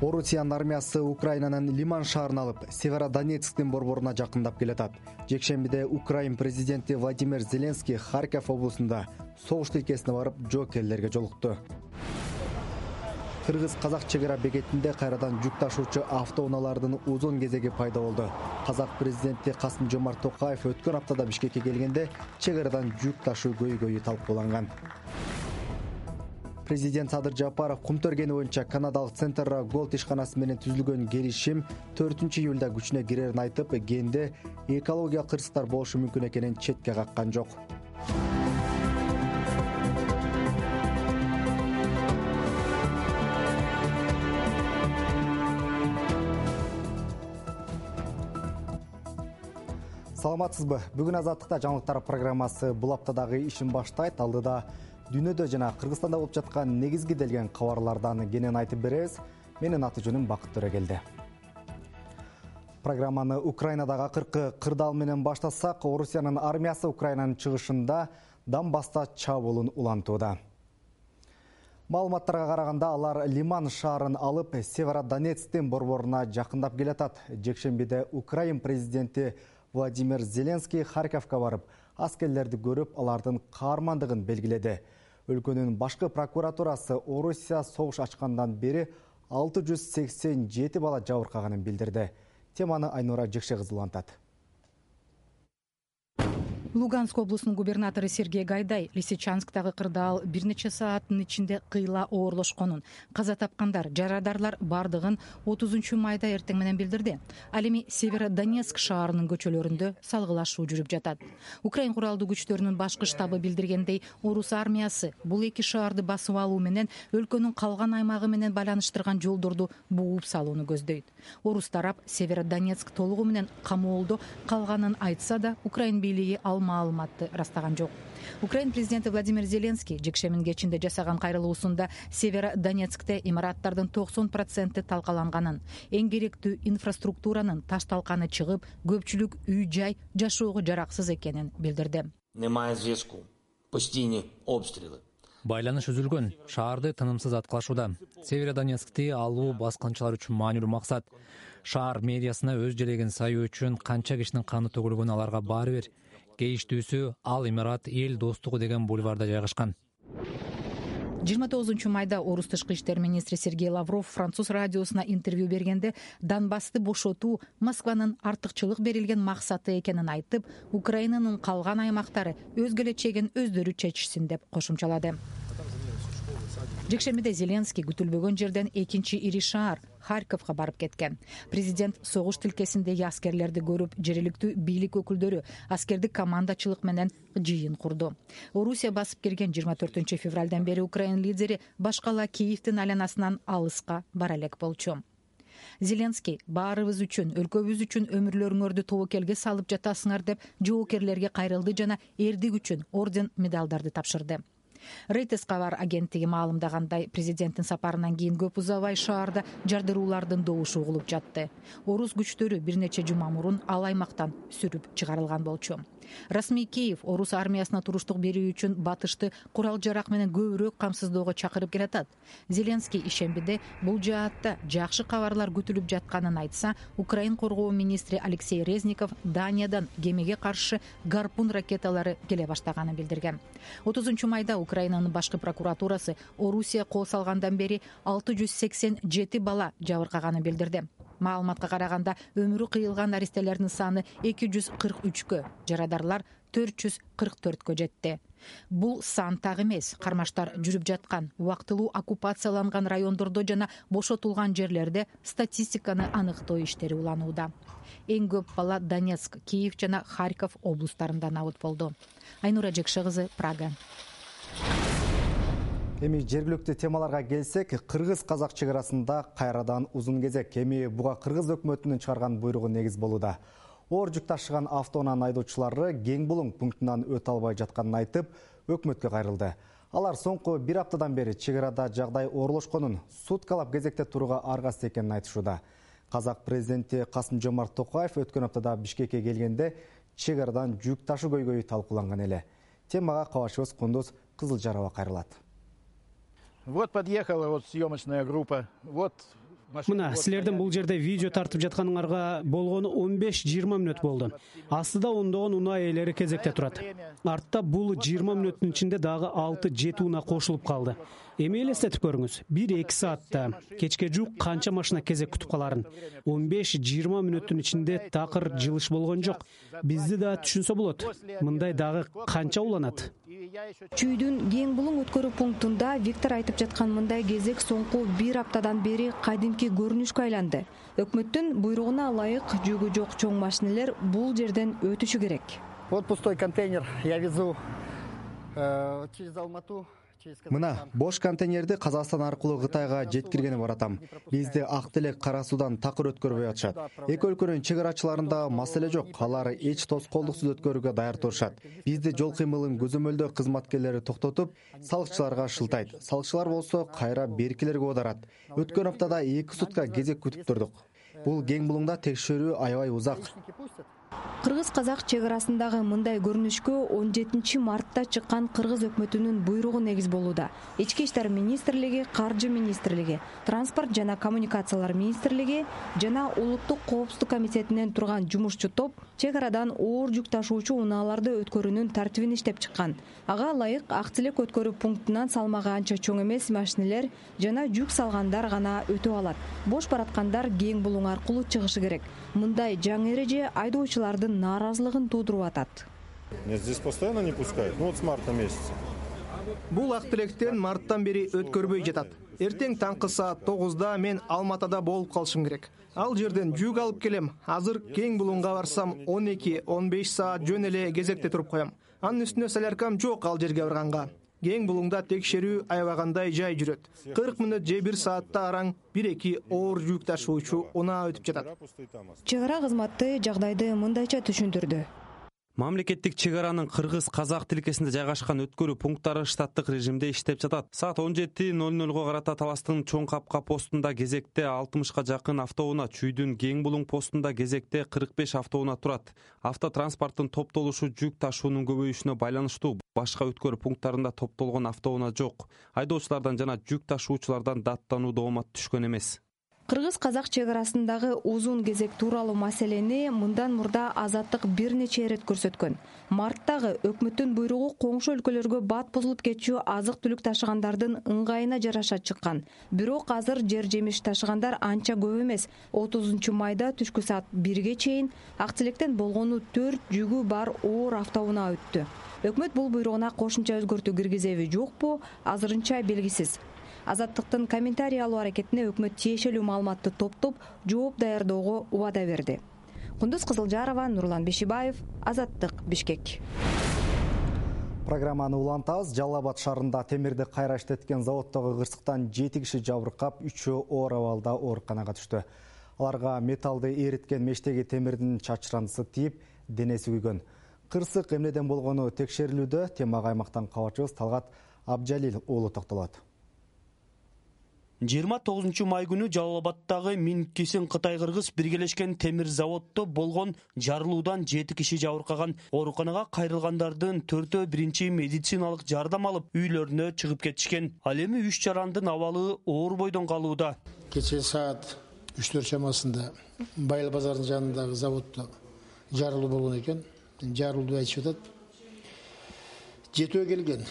Орусиянын армиясы Украинанын Лиман шаарын алып, Северодонецктин борборуна жакындап келатат. Жекшембиде Украин президенти Владимир Зеленский Харьков облусунда согуш тилкесине барып, жоокерлерге жолукту. Кыргыз-казак чегара бекетинде кайрадан жүк ташуучу автоунаалардын узун кезеги пайда болду. Казак президенти Касым-Жомарт Токаев өткөн аптада Бишкекке келгенде чегарадан жүк ташуу көйгөйү талкууланган. Президент Садыр Жапаров кумтөргени боюнча канадалык Центр Голд ишканасы менен түзүлгөн келишим 4-июлда күчүнө кирерин айтып, кенде экология кырсыктар болушу мүмкүн экенин четке каккан жок. Саламатсызбы? Бүгүн Азаттыкта жаңылыктар программасы бул аптадагы ишин баштайт. Алдыда дүйнөдө жана Кыргызстанда болуп жаткан негизги делген кабарлардан кенен айтып беребиз. Менин аты жөнүм Бакыт Төрөгелди. Программаны Украинадагы акыркы кырдаал менен баштасак, Орусиянын армиясы Украинанын чыгышында Донбасста чабуулун улантууда. Маалыматтарга караганда, алар Лиман шаарын алып, Северодонецктин борборуна жакындап келатат. Жекшембиде Украин президенти Владимир Зеленский Харьковко барып, аскерлерди көрүп, алардын каармандыгын белгиледи. Өлкөнүн башкы прокуратурасы Орусия согуш ачкандан бери 687 бала жабыркаганын билдирди. Теманы Айнура Жекше кызы улантат. Луганск облусунун губернатору Сергей Гайдай Лисичанскдагы кырдаал бир нече сааттын ичинде кыйла оорлошконун, каза тапкандар, жарадарлар бардыгын 30-майда эртең менен билдирди. Ал эми Северодонецк шаарынын көчөлөрүндө салгылашуу жүрүп жатат. Украин куралдуу күчтөрүнүн башкы штабы билдиргендей, орус армиясы бул эки шаарды басып алуу менен өлкөнүн калган аймагы менен байланыштырган жолдорду бууп салууну көздөйт. Орус тарап Северодонецк толугу менен камоолдо калганын айтса да, Украин бийлиги маалыматты растаган жок. Украин президенти Владимир Зеленский жекшембинин кечинде жасаган кайрылуусунда Северодонецкте имараттардын 90% талкаланганын, эң керектүү инфраструктуранын таш-талканы чыгып, көпчүлүк үй-жай жашоого жараксыз экенин билдирди. Немає зв'язку. Постійні обстріли. Байланыш үзүлгөн, шаарды тынымсыз аткылашууда. Северодонецкти алуу баскынчылар үчүн маанилүү максат. Шаар мэриясына өз желегин саюу үчүн канча кишинин каны төгүлгөнү аларга баары бир. Кейиштүүсү ал имарат эл достугу деген бульварда жайгашкан. 29-майда орус тышкы иштер министри Сергей Лавров француз радиосуна интервью бергенде Донбассты бошотуу Москванын артыкчылык берилген максаты экенин айтып, Украинанын калган аймактары өз келечегин өздөрү чечишсин деп кошумчалады. Жекшембиде Зеленский күтүлбөгөн жерден экинчи ири шаар Харьковго барып кеткен. Президент согуш тилкесиндеги аскерлерди көрүп, жергиликтүү бийлик өкүлдөрү аскердик командачылык менен жыйын курду. Орусия басып кирген 24 февралдан бери Украин лидери башкала Киевдин айланасынан алыска бара элек болчу. Зеленский баарыбыз үчүн, өлкөбүз үчүн өмүрлөрүңөрдү тобокелге салып жатасыңар деп жоокерлерге кайрылды жана эрдик үчүн орден медалдарды тапшырды. Reuters кабар агенттиги маалымдагандай, президенттин сапарынан кийин көп узабай шаарда жардыруулардын добушу угулуп жатты. Орус күчтөрү бир нече жума мурун ал аймактан сүрүп чыгарылган болчу. Расмий Киев орус армиясына туруштук берүү үчүн батышты курал-жарак менен көбүрөөк камсыздоого чакырып келатат. Зеленский ишембиде бул жаатта жакшы кабарлар күтүлүп жатканын айтса, Украин коргоо министри Алексей Резников Даниядан кемеге каршы гарпун ракеталары келе баштаганын билдирген. 30-майда Украинанын башкы прокуратурасы Орусия кол салгандан бери 687 бала жабыркаганын билдирди. Маалыматка караганда, өмүрү кыйылган аристелердин саны 243кө, жарадарлар 444кө жетти. Бул сан так эмес. Кармаштар жүрүп жаткан, убактылуу оккупацияланган райондордо жана бошотулган жерлерде статистиканы аныктоо иштери уланууда. Эң көп бала Донецк, Киев жана Харьков облустарында набыт болду. Айнура Жекше кызы, Прага. Эми жергиликтүү темаларга келсек, Кыргыз-казак чегарасында кайрадан узун кезек. Эми буга Кыргыз өкмөтүнүн чыгарган буйругу негиз болууда. Оор жүк ташыган автоунаанын айдоочулары Кең Булуң пунктунан өтө албай жатканын айтып, өкмөткө кайрылды. Алар соңку бир аптадан бери чегарада жагдай оорлошконун, суткалап кезекте турууга аргасыз экенин айтышууда. Казак президенти Касым-Жомарт Токаев өткөн аптада Бишкекке келгенде чегарадан жүк ташуу көйгөйү талкууланган эле. Темага кабарчыбыз Кундуз Кызылжарова кайрылат. Вот подъехала съемочная группа, вот Мына силердин бул жерде видео тартып жатканыңарга болгону 15-20 мүнөт болду. Астыда ондогон унаа ээлери кезекте турат. Артта бул 20 мүнөттүн ичинде дагы 6-7 унаа кошулуп калды. Эми элестетип көрүңүз, 1-2 саатта кечке жук канча машина кезек күтүп каларын. 15-20 мүнөттүн ичинде такыр жылыш болгон жок. Бизди да түшүнсө болот. Мындай дагы канча уланат? Чүйдүн Кең булуң өткөрүү пунктунда Виктор айтып жаткан мындай кезек соңку 1 аптадан бери кадимки көрүнүшкө айланды. Өкмөттүн буйругуна ылайык жүгү жок чоң машинелер бул жерден өтүшү керек. Вот пустой контейнер я везу через Алмату. Мына бош контейнерди Казакстан аркылуу Кытайга жеткиргени баратам. Бизди ак телек кара суудан такыр өткөрбөй атышат. Эки өлкөнүн чек арачыларында маселе жок. Алар эч тоскоолдуксуз өткөрүүгө даяр турушат. Бизди жол кыймылын көзөмөлдөө кызматкерлери токтотуп, салыкчыларга шылтайт. Салыкчылар болсо кайра беркилерге оодарат. Өткөн аптада 2 сутка кезек күтүп турдук. Бул Кең булуңда текшерүү аябай узак. Кыргыз-казак чек арасындагы мындай көрүнүшкө 17 мартта чыккан Кыргыз өкмөтүнүн буйругу негиз болууда. Ички иштер министрлиги, каржы министрлиги, транспорт жана коммуникациялар министрлиги жана улуттук коопсуздук комитетинен турган жумушчу топ чек арадан оор жүк ташуучу унааларды өткөрүүнүн тартибин иштеп чыккан. Ага ылайык ак телек өткөрүү пунктунан салмагы анча чоң эмес машинелер жана жүк салгандар гана өтө алат. Бош бараткандар Кең булуң аркылуу чыгышы керек. Мындай жаңы эреже айдоочулардын нааразылыгын туудуруп атат. Здесь постоянно не пускают. Ну вот с марта месяца. Бул ак тилектен марттан бери өткөрбөй жатат. Эртең таңкы саат 9-да мен Алматада болуп калышым керек. Ал жерден жүк алып келем. Азыр Кең булуңга барсам 12-15 саат жөн эле кезекте туруп коем. Анын үстүнө соляркам жок ал жерге барганга. Кең булуңда текшерүү аябагандай жай жүрөт. 40 мүнөт же 1 саатта араң 1-2 оор жүк ташуучу унаа өтүп жатат. Чек ара кызматы жагдайды мындайча түшүндүрдү. Мамлекеттик чек аранын кыргыз-казак тилкесинде жайгашкан өткөрүү пункттары штаттык режимде иштеп жатат. Саат 17:00 карата Таластын Чоң Капка постунда кезекте 60га жакын автоунаа, Чүйдүн Кең булуң постунда кезекте 45 автоунаа турат. Автотранспорттун топтолушу жүк ташуунун көбөйүшүнө байланыштуу. Башка өткөрүү пункттарында топтолгон автоунаа жок. Айдоочулардан жана жүк ташуучулардан даттануу доомат түшкөн эмес. Кыргыз-казак чек арасындагы узун кезек тууралуу маселени мындан мурда Азаттык бир нече ирет көрсөткөн. Марттагы өкмөттүн буйругу коңшу өлкөлөргө бат бузулуп кетчү азык-түлүк ташыгандардын ыңгайына жараша чыккан. Бирок азыр жер жемиш ташыгандар анча көп эмес. 30 майда түшкү саат 1ге чейин ак тилектен болгону 4 жүгү бар оор автоунаа өттү. Өкмөт бул буйругуна кошумча өзгөртүү киргизеби жокпу, азырынча белгисиз. Азаттыктын комментарий алуу аракетине өкмөт тиешелүү маалыматты топтоп, жооп даярдоого убада берди. Кундуз Кызылжарова, Нурлан Бешибаев, Азаттык, Бишкек. Программаны улантабыз. Жалал Абад шаарында темирди кайра иштеткен заводдогу кырсыктан 7 киши жабыркап, 3-өө оор абалда ооруканага түштү. Аларга металлды эриткен мештеги темирдин чачырандысы тийип, денеси күйгөн. Кырсык эмнеден болгону текшерилүүдө. Темага аймактан кабарчыбыз Талгат Абжалил уулу токтолот. 29 май күнү Жалал Абадтагы Минкисин Кытай-Кыргыз биргелешкен темир заводдо болгон жарылуудан 7 киши жабыркаган. Ооруканага кайрылгандардын 4-өө биринчи медициналык жардам алып, үйлөрүнө чыгып кетишкен. Ал эми 3 жарандын абалы оор бойдон калууда. Кечээ саат 3-4 чамасында Байыл базарынын жанындагы заводдо жарылуу болгон экен. Жарылууду айтышып атат. 7 келген.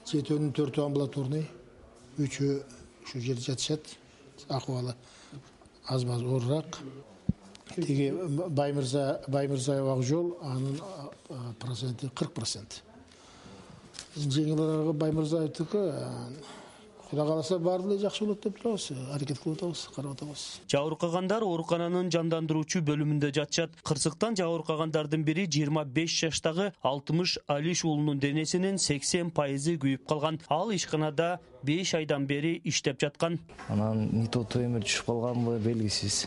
7-өнүн 4-өө амбулаторный, 3-өө şu жерде жатышат. Акыбалы аз-маз оорураак. Тиги Баймырзаев ак жол, анын проценти 40%. Жеңилирээги Баймырзаевдики, Кудай кааласа баары эле жакшы болот деп турабыз, аракет кылып атабыз, карап атабыз. Жабыркагандар оорукананын жандандыруучу бөлүмүндө жатышат. Кырсыктан жабыркагандардын бири 25 жаштагы 60 Алиш уулунун денесинин 80% күйүп калган. Ал ишканада 5 айдан бери иштеп жаткан. Анан нито темир түшүп калганбы белгисиз.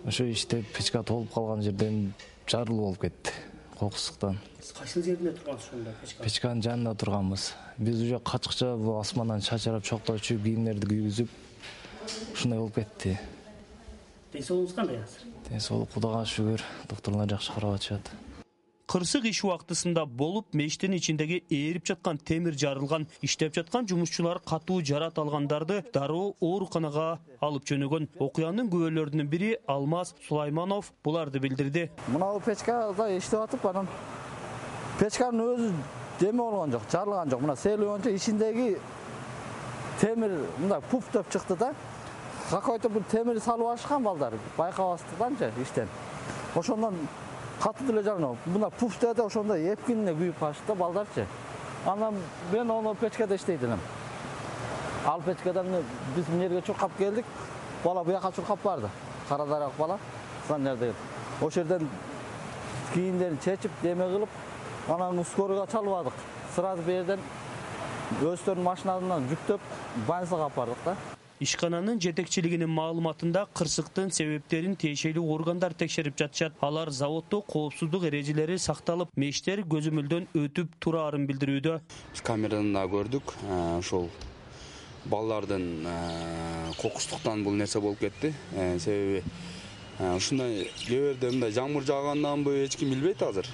Ошо иштеп печка толуп калган жерден жарылуу болуп кетти. Кокустуктан. Кайсы жерде тургансыз ошондо печка? Печканын жанында турганбыз. Биз уже качкыча бул асмандан чачырап чокточу кийимдерди кийгизип ушундай болуп кетти. Ден соолугуңуз кандай азыр? Ден соолук Кудайга шүгүр, докторлор жакшы карап атышат. Кырсык иш убактысында болуп, мештин ичиндеги ээрип жаткан темир жарылган. Иштеп жаткан жумушчулар катуу жарат алгандарды дароо ооруканага алып жөнөгөн. Окуянын күбөлөрүнүн бири Алмаз Сулайманов буларды билдирди. Мына печкада иштеп атып, анан печканын өзү деме болгон жок, жарылган жок. Мына сейлөөнчө ичиндеги темир мындай пуф деп чыкты да. Какой-то бир темир салып ашкан балдар, байкабасты данчы иштен. Ошондон катуу деле жарылган. Мына пуф деди, ошондо эпкинине күйүп калышты балдарчы. Анан мен ону печкада иштейт элем. Ал печкадан биз жерге чуркап келдик. Бала буяка чуркап барды. Кара дарак бала. Санерде. Ошол жерден кийиндерин чечип, деме кылып, анан ускорыйга чалбадык. Сразу бу жерден өздөрүнүн машиналарынан жүктөп, больницага алып бардык да. Ишкананын жетекчилигинин маалыматында кырсыктын себептерин тиешелүү органдар текшерип жатышат. Алар заводдо коопсуздук эрежелери сакталып, мештер көзөмөлдөн өтүп тураарын билдирүүдө. Камерадан да көрдүк, ошол балдардын кокустуктан бул нерсе болуп кетти. Себеби ушундай кээ мындай жамгыр жааганданбы эч ким билбейт азыр.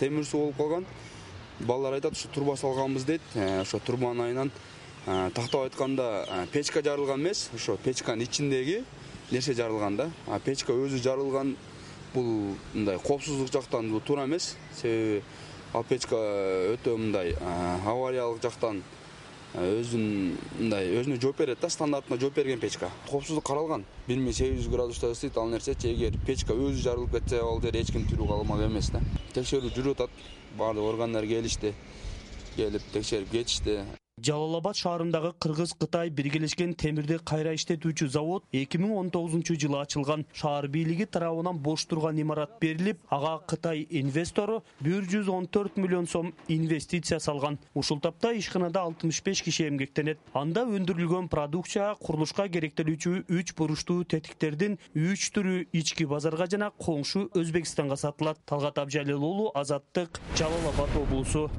Темир суу болуп калган. Балдар айтат, ушу труба салганбыз дейт. Ошо трубанын айынан тактап айтканда печка жарылган эмес, ошо печканын ичиндеги нерсе жарылган да. Печка өзү жарылган, бул мындай коопсуздук жактан бул туура эмес. Себеби ал печка өтө мындай авариялык жактан өзүнө жооп берет да, стандартына жооп берген печка. Коопсуздук каралган. 1800 градуста ысыйт, ал нерсе эгер печка өзү жарылып кетсе, ал жер эч ким тирүү калмак эмес да. Текшерүү жүрүп атат. Баардык органдар келишти. Келип текшерип кетишти. Жалал-Абад шаарындагы Кыргыз-Кытай биргелешкен темирди кайра иштетүүчү завод 2019-жылы ачылган. Шаар бийлиги тарабынан бош турган имарат берилип, ага Кытай инвестору 114 миллион сом инвестиция салган. Ушул тапта ишканада 65 киши эмгектенет. Анда өндүрүлгөн продукция курулушка керектелүүчү 3 буручтуу тетиктердин 3 түрү ички базарга жана коңшу Өзбекстанга сатылат. Талгат Абжалил уулу, Азаттык, Жалал-Абад облусу.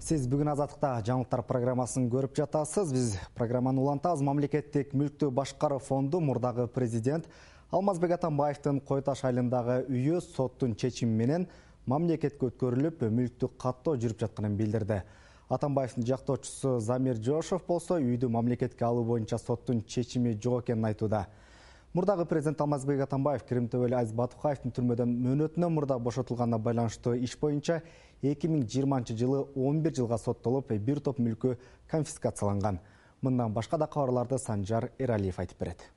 Сиз бүгүн Азаттыкта жаңылыктар программасын көрүп жатасыз. Биз программаны улантабыз. Мамлекеттик мүлктү башкаруу фонду мурдагы президент Алмазбек Атамбаевдин Кой Таш айылындагы үйү соттун чечими менен мамлекетке өткөрүлүп, мүлктү каттоо жүрүп жатканын билдирди. Атамбаевдин жактоочусу Замир Жошов болсо үйдү мамлекетке алуу боюнча соттун чечими жок экенин айтууда. Мурдагы президент Алмазбек Атамбаев Кирим Төбөлү Азиз Батукаевдин түрмөдөн мөөнөтүнөн мурда бошотулганына байланыштуу иш боюнча 2020-жылы 11 жылга соттолуп, бир топ мүлкү конфискацияланган. Мындан башка да кабарларды Санжар Эралиев айтып берет.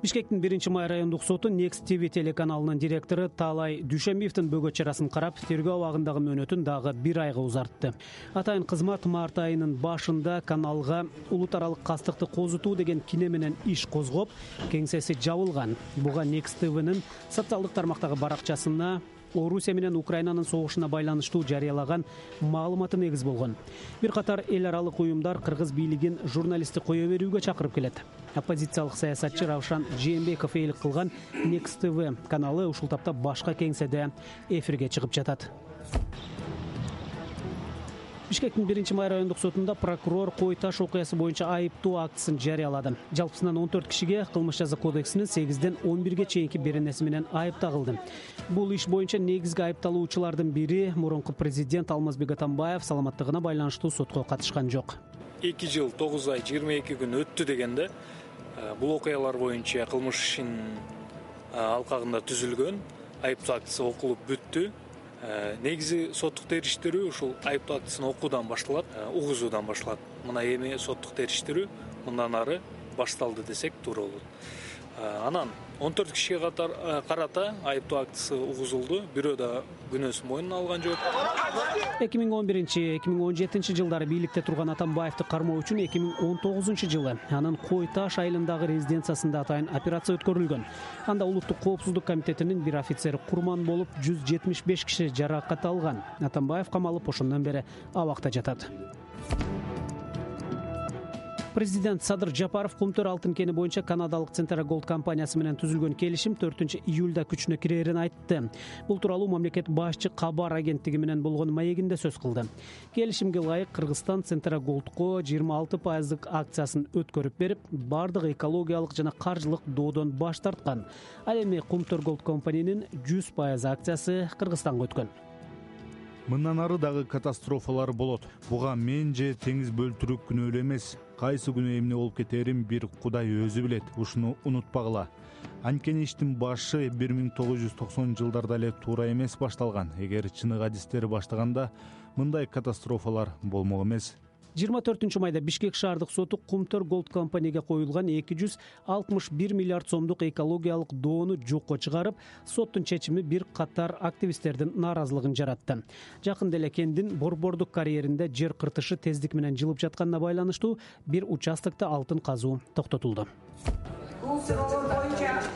Бишкектин 1-май райондук соту Next TV телеканалынын директору Талай Дүйшөнбиевдин бөгөт чарасын карап, тергөө абагындагы мөөнөтүн дагы 1 айга узартты. Атайын кызмат март айынын башында каналга улут аралык кастыкты козутуу деген кине менен иш козгоп, кеңсеси жабылган. Буга Next TV'нин социалдык тармактагы баракчасына Орусия менен Украинанын согушуна байланыштуу жарыялаган маалыматы негиз болгон. Бир катар эл аралык уюмдар кыргыз бийлигин журналистти кое берүүгө чакырып келет. Оппозициялык саясатчы Равшан Жээнбеков эйлик кылган Next TV каналы ушул тапта башка кеңседе эфирге чыгып жатат. Бишкектин 1-май райондук сотунда прокурор Кой Таш окуясы боюнча айыптоо актысын жарыялады. Жалпысынан 14 кишиге кылмыш жаза кодексинин 8-ден 11-ге чейинки беренеси менен айып тагылды. Бул иш боюнча негизги айыпталуучулардын бири мурунку президент Алмазбек Атамбаев саламаттыгына байланыштуу сотко катышкан жок. 2 жыл 9 ай 22 күн өттү дегенде бул окуялар боюнча кылмыш ишин алкагында түзүлгөн, айыптоо актысы окулуп бүттү. Негизи соттук териштирүү ушул айыптоо актысын окуудан башталат, угузуудан башталат. Мына эми соттук териштирүү мындан ары башталды десек туура болот. Анан 14 кишиге карата айыптоо актысы угузулду, бирөө да күнөөсүн мойнуна алган жок. 2011-2017 жылдары бийликте турган Атамбаевди кармоо үчүн 2019-жылы анын Кой Таш айылындагы резиденциясында атайын операция өткөрүлгөн. Анда улуттук коопсуздук комитетинин бир офицери курман болуп, 175 киши жаракат алган. Атамбаев камалып ошондон бери абакта жатат. Президент Садыр Жапаров Кумтөр алтын кени боюнча канадалык Centera Gold компаниясы менен түзүлгөн келишим 4-июлда күчүнө кирерин айтты. Бул тууралуу мамлекет башчы кабар агенттиги менен болгон маегинде сөз кылды. Келишимге ылайык Кыргызстан Centera Gold'ко 26% акциясын өткөрүп берип, бардык экологиялык жана каржылык доодон баш тарткан. Ал эми Кумтөр Gold компаниянын 100% акциясы Кыргызстанга өткөн. Мындан ары дагы катастрофалар болот. Буга мен же теңиз бөлтүрүк күнөөлүү эмес. Кайсы күнү эмне болуп кетерин бир Кудай өзү билет. Ушуну унутпагыла. Анткени иштин башы 1990 жылдарда эле туура эмес башталган. Эгер чыныгы адистери баштаганда мындай катастрофалар болмок эмес. 24 майда Бишкек шаардык соту Кумтөр Gold компанияга коюлган 261 миллиард сомдук экологиялык доону жокко чыгарып, соттун чечими бир катар активисттердин нааразылыгын жаратты. Жакында эле кендин борбордук карьеринде жер кыртышы тездик менен жылып жатканына байланыштуу бир участокто алтын казуу токтотулду.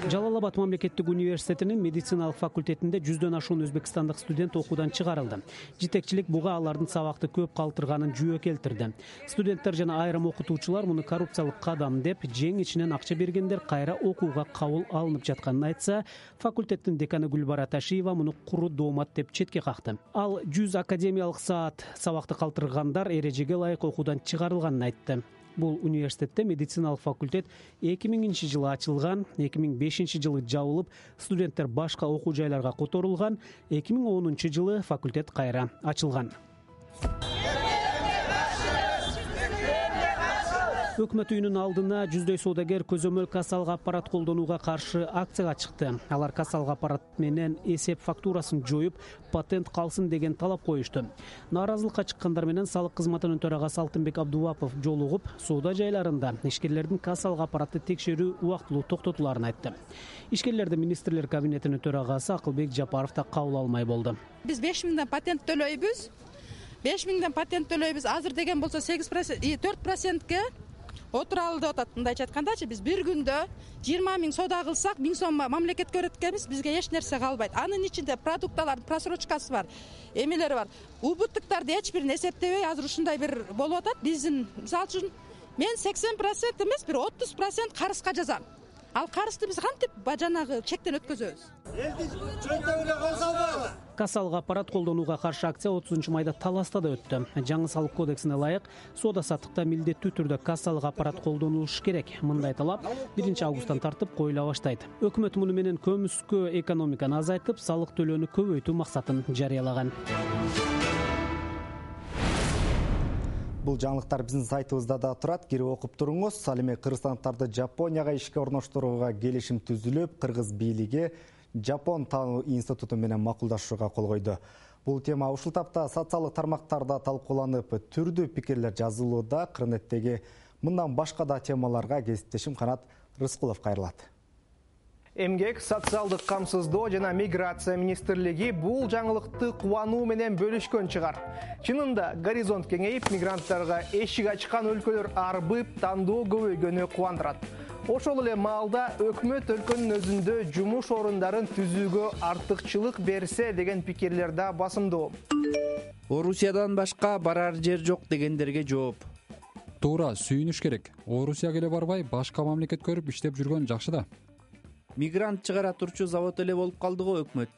Жалал Абад мамлекеттик университетинин медициналык факультетинде 100дөн ашуун өзбекстандык студент окуудан чыгарылды. Жетекчилик буга алардын сабакты көп калтырганын жүйө келтирди. Студенттер жана айрым окутуучулар муну коррупциялык кадам деп, жең ичинен акча бергендер кайра окууга кабыл алынып жатканын айтса, факультеттин деканы Гүлбара Ташиева муну куру доомат деп четке какты. Ал 100 академиялык саат сабакты калтыргандар эрежеге ылайык окуудан чыгарылганын айтты. Бул университетте медициналык факультет 2000-жылы ачылган, 2005-жылы жабылып, студенттер башка окуу жайларга которулган, 2010-жылы факультет кайра ачылган. Өкмөт үйүнүн алдына 100дөй соодагер көзөмөл кассалык аппарат колдонууга каршы акцияга чыкты. Алар кассалык аппарат менен эсеп фактурасын жоюп, патент калсын деген талап коюшту. Нааразылыкка чыккандар менен салык кызматынын төрагасы Алтынбек Абдубапов жолугуп, соода жайларында ишкерлердин кассалык аппаратты текшерүү убактылуу токтотуларын айтты. Ишкерлерди министрлер кабинетинин төрагасы Акылбек Жапаров да кабыл алмай болду. Биз 5000ден патент төлөйбүз. 5000ден патент төлөйбүз. Азыр деген болсо 4%ке отуралы деп атат. Мындайча айткандачы, биз бир күндө 20 000 соода кылсак, 1000 сом мамлекетке өткөнбүз, бизге эч нерсе калбайт. Анын ичинде продукталардын просрочкасы бар, эмелери бар. Убуттуктарды эч бирин эсептебей, азыр ушундай бир болуп атат. Биздин, мисалы үчүн, мен 80% эмес, бир 30% карызга жазам. Ал карызды биз кантип жанагы чектен өткөзөбүз? Элди чөнтөгүнө кол салбагыла. Кассалык аппарат колдонууга каршы акция 30-майда Таласта да өттү. Жаңы салык кодексине ылайык соода саттыкта милдеттүү түрдө кассалык аппарат колдонулушу керек. Мындай талап 1-августтан тартып коюла баштайт. Өкмөт муну менен көмүскө экономиканы азайтып, салык төлөөнү көбөйтүү максатын жарыялаган. Бул жаңылыктар биздин сайтыбызда да турат. Кирип окуп туруңуз. Ал эми кыргызстандыктарды Жапонияга ишке орноштурууга келишим түзүлүп, кыргыз бийлиги Жапон таануу институту менен макулдашууга кол койду. Бул тема ушул тапта социалдык тармактарда талкууланып, түрдүү пикирлер жазылууда. Кыргызстандагы мындан башка да темаларга кесиптешим Канат Рыскулов кайрылат. Эмгек, социалдык камсыздоо жана миграция министрлиги бул жаңылыкты кубануу менен бөлүшкөн чыгар. Чынында горизонт кеңейип, мигранттарга эшик ачкан өлкөлөр арбып, тандоо көбөйгөнү кубандырат. Ошол эле маалда өкмөт өлкөнүн өзүндө жумуш орундарын түзүүгө артыкчылык берсе деген пикирлер да басымдуу. Орусиядан башка барар жер жок дегендерге жооп. Туура, сүйүнүш керек. Орусияга эле барбай, башка мамлекет көрүп иштеп жүргөн жакшы да. Мигрант чыгара турчу завод эле болуп калды го өкмөт.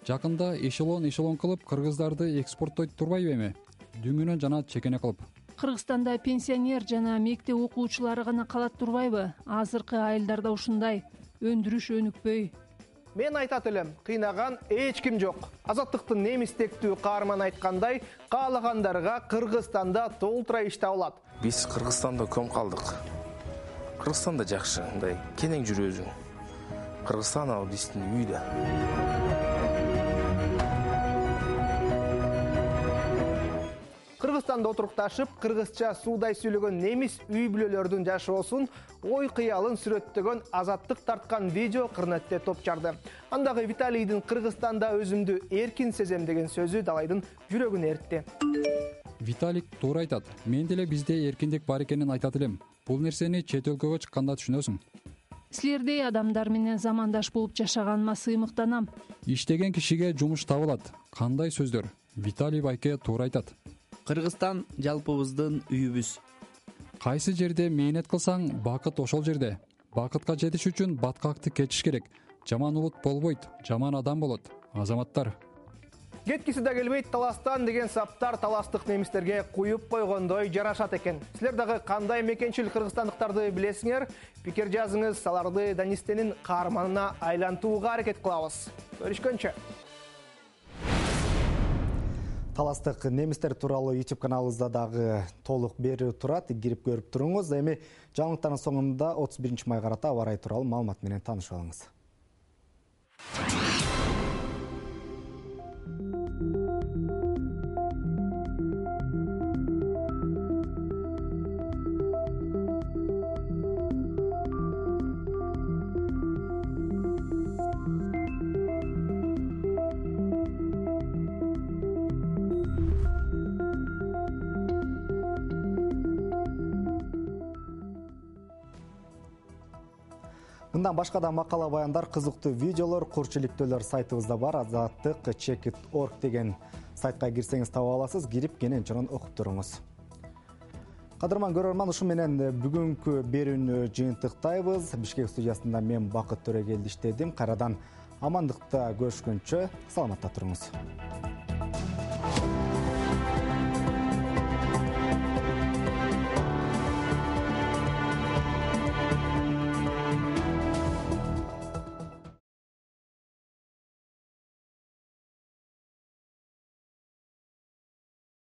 Жакында эшелон кылып кыргыздарды экспорттойт турбайбы эми? Дүңүнө жана чекене кылып. Кыргызстанда пенсионер жана мектеп окуучулары гана калат турбайбы? Азыркы айылдарда ушундай. Өндүрүш өнүкпөй. Мен айтат элем, кыйнаган эч ким жок. Азаттыктын немистектүү каарманы айткандай, каалагандарга Кыргызстанда толтура иш табылат. Биз Кыргызстанда көм калдык. Кыргызстанда жакшы, мындай кенең жүрөбүз. Кыргызстан ал биздин үй да. Кыргызстанда отурукташып, кыргызча суудай сүйлөгөн немис үй бүлөлөрдүн жашоосун, ой кыялын сүрөттөгөн азаттык тарткан видео кырнетте топ жарды. Андагы Виталийдин Кыргызстанда өзүмдү эркин сезем деген сөзү Далайдын жүрөгүн эритти. Виталик туура айтат. Мен деле бизде эркиндик бар экенин айтат элем. Бул нерсени чет өлкөгө чыкканда түшүнөсүң. Силердей адамдар менен замандаш болуп жашаганыма сыймыктанам. Иштеген кишиге жумуш табылат. Кандай сөздөр? Виталий байке туура айтат. Кыргызстан жалпыбыздын үйүбүз. кайсы жерде мээнет кылсаң бакыт ошол жерде. Бакытка жетиш үчүн баткакты кечиш керек. Жаман улут болбойт, жаман адам болот. Азаматтар, Кеткиси да келбейт таластан деген саптар таластык немистерге куюп койгондой жарашат экен. Силер дагы кандай мекенчил кыргызстандыктарды билесиңер? Пикир жазыңыз, аларды Данистенин каарманына айлантууга аракет кылабыз. Көрүшкөнчө. Таластык немистер тууралуу YouTube каналыбызда дагы толук берүү турат. Кирип көрүп туруңуз. Эми жаңылыктардын соңунда 31 май карата аба ырайы тууралуу маалымат менен таанышып алыңыз. Мындан башка да макала баяндар, кызыктуу видеолор, курчиликтөөлөр сайтыбызда бар. Azatlyk.org деген сайтка кирсеңиз таба аласыз. Кирип кенен жонун окуп туруңуз. Кадырман көрөрман, ушу менен бүгүнкү берүүнү жыйынтыктайбыз. Бишкек студиясында мен Бакыт Төрөгелди иштедим. Кайрадан амандыкта көрүшкөнчө саламатта туруңуз.